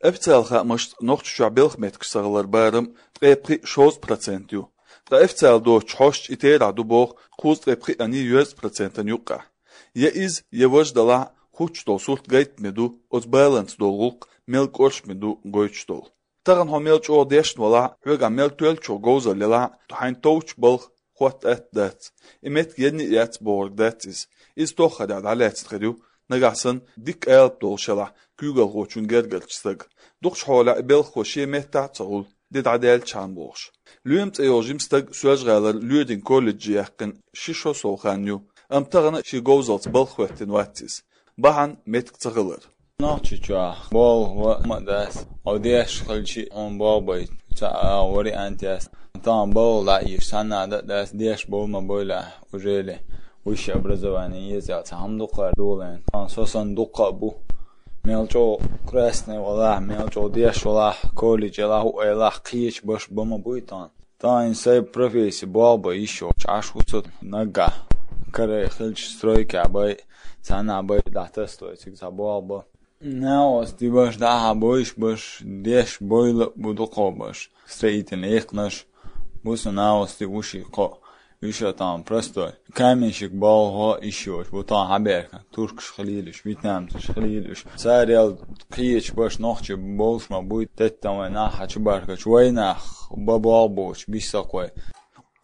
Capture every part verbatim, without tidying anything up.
Официал хаамашца, Нохчийчохь белхан меттигаш ца хилар барам ткъе пхиъ-шовзткъа процент ю. Ткъа официал доцучу хьошчу и терахь ду боху кхузткъе пхиъ-йоьзза процентана юккъехь. Я иза, я важа далахь, хӀуттуш долу сурт гайтаме ду оцу баланца долу гӀуллакх мел кӀоршаме ду гойтуш долу. Тахана хьо мел чӀогӀа дешна валахь, хьоьгахь мел тоьллачух говзалла елахь, хьайна товчу балха хӀотта атта дац. И меттиг енна а яц бохург дац иза. Иза тоххарехь дӀалаьцна хир ю, нагахь санна дика алапа долуш елахь куьйгалхочун гергарчу стага. Дукхачу хьолехь и белхахо шен меттахь а ца хуьлу, де дӀадаьллачхьана бохуш. Лоьма цӀе йолу жима стаг Соьлжа-ГӀалара Лоьрин колледжехь яьккхина ши шо сов хан ю, амма тахана шен говзаллица балха хӀоьттина вац иза. Бахьана меттиг ца хилар. Нохчийчохь болх бан а ма дац. Хьо деш хилча а хьуна болх бан ца а вариант яц. Тахана балха дӀа а еш, цхьанна а дан а дац, деш болу ма бойла, ужели высшее образование еза аьлла цхьа хӀума дукха долийна. Тахана со санна дуккха а бу. Мел чӀогӀа красный валахь, мел чӀогӀа деш валахь, колледж елахь, хӀуъа елахь, кхечу баш бан ма буй тахана. Тахана сайн профессия болх бан йиш йолчу Ӏаш ву со наггахь. Каре хилча стройкехь бай, цхьаннахь бай дӀатасалой, цига цхьа болх бан. Нахаца дибаш дӀахьа бойш баш, деш бойла а бу дукхо баш. Строительный экхнаш бу со нахаца ди ву ши кхо. Уьш а тахана простой. Каменщик болхо йиш йоцуш бу тахана хьабаьхкина. Туркаш хилийла уьш, вьетнамцаш хилийла уьш. Царел кхечу баш нохчий болуш ма буй, теттан вай нах хьачубаркачу вай нах, бан болх боцуш, биссакхой.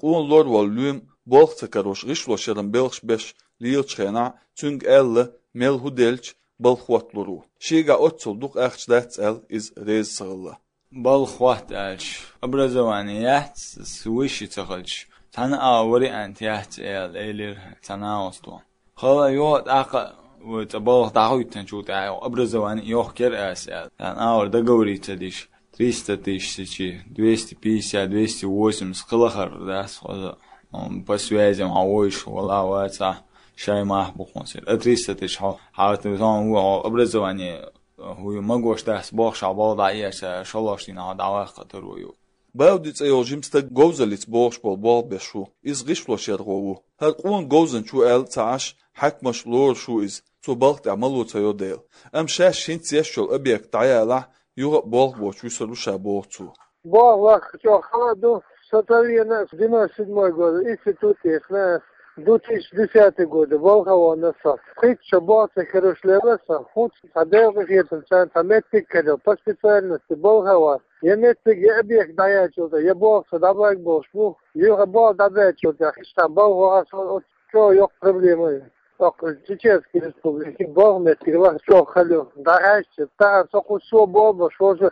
Къона лор волу лоьма болх ца карош, гӀишлошъяран белхаш беш лелачу хенахь, цуьнга аьлла, мел хӀун делча, балха хӀотталур ву. Шегахь оццул дукха ахча дац аьлла, иза реза ца хилла. Балха хӀотта аьлча, образование яц, с-, высший ца хилча, цхьана а вариант яц аьлла, элира цхьа нахаца. Хала йо, тӀаккха вай цӀа балха дӀахӀоьттинчул тӀаьхьа образование йохкера ас аьлла. Цхьана а вара договориться диш, триста тысяч, двести пятьдесят, двести восемьдесят кхин лахара дац хоза. М, по связям хьан вуьйш вала вацахь, шай мах бу хьуна сир. А триста тысяч хьо, хьан ву хьо образование, хӀуй магош дац бохуш, хьан балха дӀа а еш, шолгӀачу дийнахь хьо дӀаваккха таро ю. Бауди цӀе йолу жима стаг говзаллица бохуш болу болх беш ву. Иза гӀишлошъярхо ву. ХӀара къона говзанча ву аьлла ца Ӏаш, хьаькамаш лоруш ву иза, цо балха тӀехь мало ца йо дела. Амма шаьш хӀинца еш йолу объект дӀаялахь, юха а болх боцуш вуьсур ву ша, боху цо. Болх ваккха чӀогӀа хала а ду. Со тӀавена девяносто седьмой года, институт тӀехь ас, две тысячи десятый года балха вахана со. Пхийтта шо болх ца хиларш лелла со, хӀинца цхьа Делан къинхетамца цхьа меттиг карийна по специальности балха ван. Я меттиг, я объект дӀаяьлчул тӀаьхьа, я болх со дӀабаьлла болуш бу, юха болх дӀабаьлчул тӀаьхьа, иштта балха ваха со, оцу чӀогӀа йоккха проблема ю. Оцу Чеченский Республике балха меттиг лаха чӀогӀа хала ю. ДӀахаьжча, тахана со кху со болх беш волчу,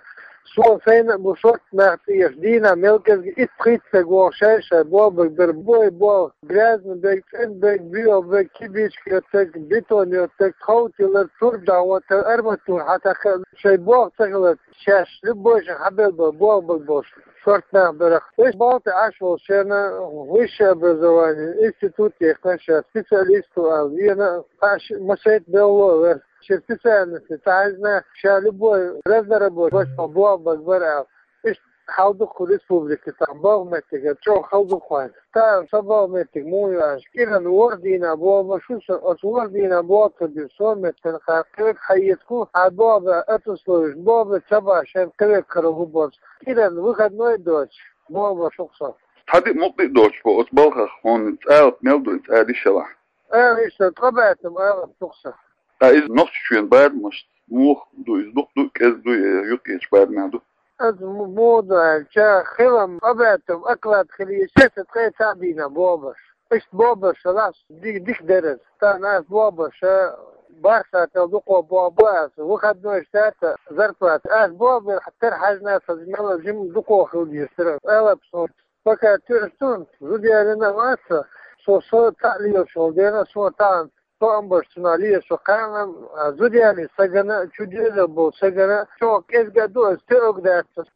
со сайна а бу шортта нах тӀе еш, дийнахь мел кӀезиг итт-пхийтта стаг вогӀу шай-шай болх бан бер, бой болх, грязный берг, цӀена берг, боьха берг, кибичка йоттарг, бетон йоттарг, тхов тиллар, турба дӀахӀоттар, арматура хьатакхар, шайн болх ца хилар. Шаьш любой шен хьабелла болу болх бан болуш шортта нах бара. Уьш балха тӀе Ӏаш волу шена высшее образование, институт тӀехь ша специалист ву аьлла, вена а, цхьа ши-, ма шайтта белло а вер. Шен специальности ца хьаьжна, ша любой разнорабочий баш болу болх бан бара аьлла. Иштта хьал ду кху республике тахана балха меттигера, чӀогӀа хала ду кхунна. Тахана со болх меттиг муха ю аьлча, кӀиран ворхӀ дийнахь болх беш ву со, оцу ворхӀ дийнахь болх ца беш, со меттана кхара кхин верг хьаэцарг ву, хьан болх бан ат условиш, болх бан ца бахь шен кхин верг каро хӀун болчу. КӀиран выходной доцуш, болх беш ву со. Цхьа диъ мукъа диъ доцуш бу оцу балхах, хьуна цӀалап мел ду и цӀа дишалахь? Ала иштта, ткъа баьттам алап ду со. Ткъа иза Нохчийчоьнан барамашца муха ду иза, дукха ду, кӀезиг ду, я юккъерчу барамехь ду? Аса м-, муха ду аьлча, хилам, ткъа баьттам оклад хила еза, аса ткъе цхьа дийнахь болх беш. Иштта болх беш хилахь, ди-, дика дара аса. Тахана аса болх беш, бархӀ сахьтел дукха болх бан аса, выходной сахьтехь зарплата. Аса болх бан тера хьаьжна аса, мел жима дукха хила дезара. Алап суна, пока тоьаш ду, зуда ялийна а вац со, со, со цхьаъ лелаш волу дела, со тахана тоам беш цунах лелаш ву кхана, а, зуда ялийна стагана, чудоьзна болу стагана, чӀогӀа кӀезиг а ду аса, тоьарг дац аса.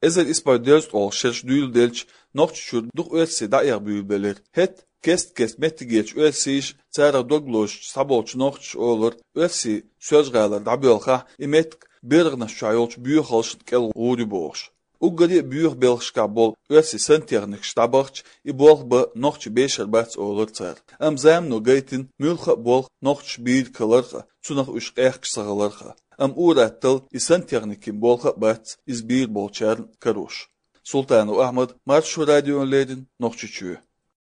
Эзар исс бӀе дезткъе ткъолгӀа шераш дуьйладелча, Нохчийчуьра дукха оьрсий дӀаэха буьйлабелира. ХӀетахь кест-кеста меттигерчу оьрсийша, царах дог лозуьйтуш схьаболчу нохчаша олура, оьрсий Соьлжа-ГӀалара дӀабоьлхахь, и меттиг берганаш чохь йолчу боьхалшна кӀел гӀур ю бохуш. Уггаре а боьха белхашкахь болу оьрсийн сантехникаш дӀабахча, и болх бан нохчий бешар бац олура цара. Амма замано гайтина муьлхха а болх нохчаша бийр каларх а, цунах уьш къехкаш ца хиларх а. амма ур-аттал и сантехникийн болх а бац иза бийр болчарна карош. Султанов Ахьмад, Маршо радиона леррина, Нохчийчоь.